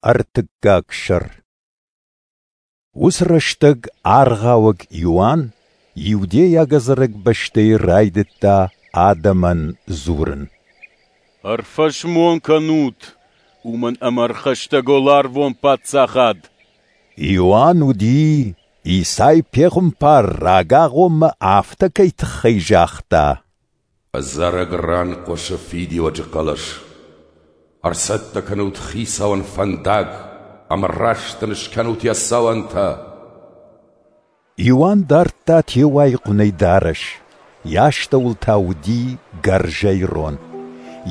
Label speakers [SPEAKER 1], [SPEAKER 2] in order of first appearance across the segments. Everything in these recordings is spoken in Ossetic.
[SPEAKER 1] Ӕртыккаг сӕр. Уыцы рӕстӕг Аргъауӕг Иоанн иудейаг ӕдзӕрӕг бӕстӕйы райдыдта адӕмӕн дзурын.
[SPEAKER 2] Ӕрфӕсмон кӕнут, уымӕн ӕмӕ ӕрхӕстӕг уӕларвон Паддзахад.
[SPEAKER 1] Иоанн уыди, Исай пехуымпар рагагъоммӕ афтӕ кӕй тыххӕй загъта:
[SPEAKER 3] Ӕдзӕрӕг ран хъуысы фидиуӕджы хъӕлӕс. Ӕрцӕттӕ кӕнут Хицауӕн фӕндаг ӕмӕ раст ын скӕнут йӕ цӕуӕнтӕ.
[SPEAKER 1] Иоанн дардта теуайы хъуынӕй дарӕс, йӕ астӕуыл та уыди гӕрзӕй рон.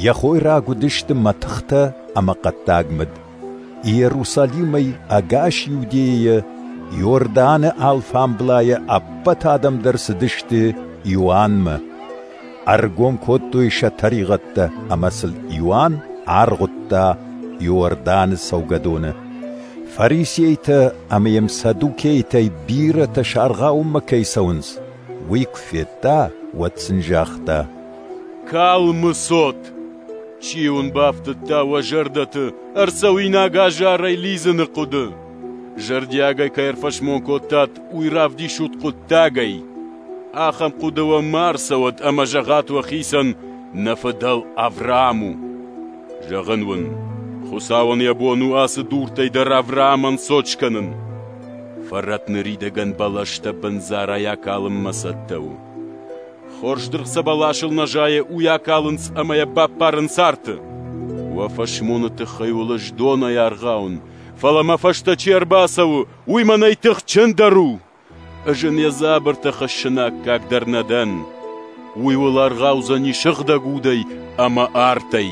[SPEAKER 1] Йӕ хойраг уыдысты мӕтыхтӕ ӕмӕ хъӕддаг мыд. Иерусалимӕй ӕгас Иудейӕйӕ Иорданы алфамблайӕ ӕппӕт адӕм дӕр цыдысты Иоаннмӕ. Ӕргом кодтой сӕ тӕригъӕдтӕ ӕмӕ сыл Иоанн аргъуыдта Иорданы цӕугӕдоны. Фарисейтӕ ӕмӕ йӕм саддукейтӕй бирӕтӕ саргъауынмӕ кӕй цӕуынц, уый куы федта, уӕд сын загъта:
[SPEAKER 2] «Калмы цот! Чи уын бафтыдта уӕ зӕрдӕты ӕрцӕуинаг азарӕй лидзыны хъуыды? Зӕрдиагӕй кӕй ӕрфӕсмон кодтат, уый равдисут хъуыддагӕй. Ахӕм хъуыды уӕм ма ӕрцӕуӕд ӕмӕ зӕгъат уӕхицӕн, нӕ фыдӕл Авраам у. Зӕгъын уын, Хуыцауӕн йӕ бон у ацы дуртӕй дӕр Авраамӕн цот скӕнын. Фӕрӕт ныридӕгӕн бӕлӕстӕ бындзарӕй акалынмӕ цӕттӕ у. Хорз дыргъ цы бӕласыл нӕ зайы, уый акалынц ӕмӕ йӕ баппарынц арты. Уӕ фӕсмоны тыххӕй уыл ӕз донӕй аргъауын, фӕлӕ мӕ фӕстӕ чи ӕрбацӕуы, уый мӕнӕй тыхджындӕр у. Ӕз ын йӕ дзабыртӕ хӕссыны аккаг дӕр нӕ дӕн. Уый уыл аргъаудзӕни сыгъдӕг удӕй ӕмӕ артӕй.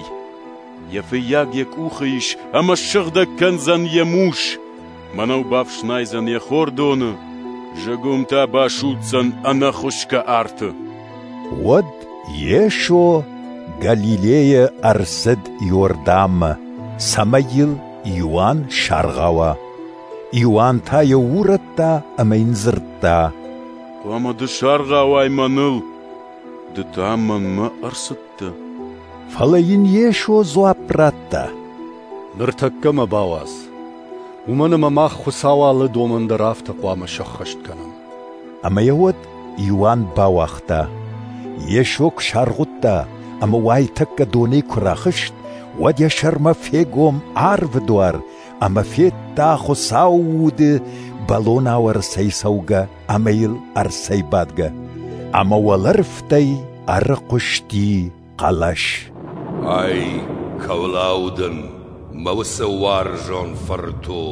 [SPEAKER 2] Йӕ фыййаг йӕ къухы ис ӕмӕ ссыгъдӕг кӕндзӕн йӕ мус. Мӕнӕу бафснайдзӕн йӕ хордоны, зыгуым та басудздзӕн ӕнӕхуысгӕ арты.
[SPEAKER 1] Уӕд Йесо Галилейӕ ӕрцыд Иорданмӕ, цӕмӕй йыл Иоанн саргъауа. Иоанн та йӕ урӕдта ӕмӕ йын дзырдта:
[SPEAKER 2] «Хъуамӕ ды саргъауай мӕныл, ды та мӕнмӕ ӕрцыдтӕ».
[SPEAKER 1] Фӕлӕ йын Йесо дзуапп радта:
[SPEAKER 4] «Ныртӕккӕ мӕ бауадз, уымӕн ӕмӕ мах Хуыцауы алы домӕн дӕр афтӕ хъуамӕ сӕххӕст кӕнӕм».
[SPEAKER 1] Ӕмӕ йӕ уӕд Иоанн бауагъта. Йесо куы саргъуыдта ӕмӕ уайтӕккӕ донӕй куы рахызт, уӕд йӕ сӕрмӕ фегом арвы дуар ӕмӕ федта Хуыцауы Уды бӕлонау ӕрцӕйцӕугӕ ӕмӕ йыл ӕрцӕйбадгӕ. Ӕмӕ уӕлӕрвтӕй ӕрыхъуысти хъӕлӕс:
[SPEAKER 3] «Ай кӕуыл аудын, мӕ уыцы уарзон фырт у.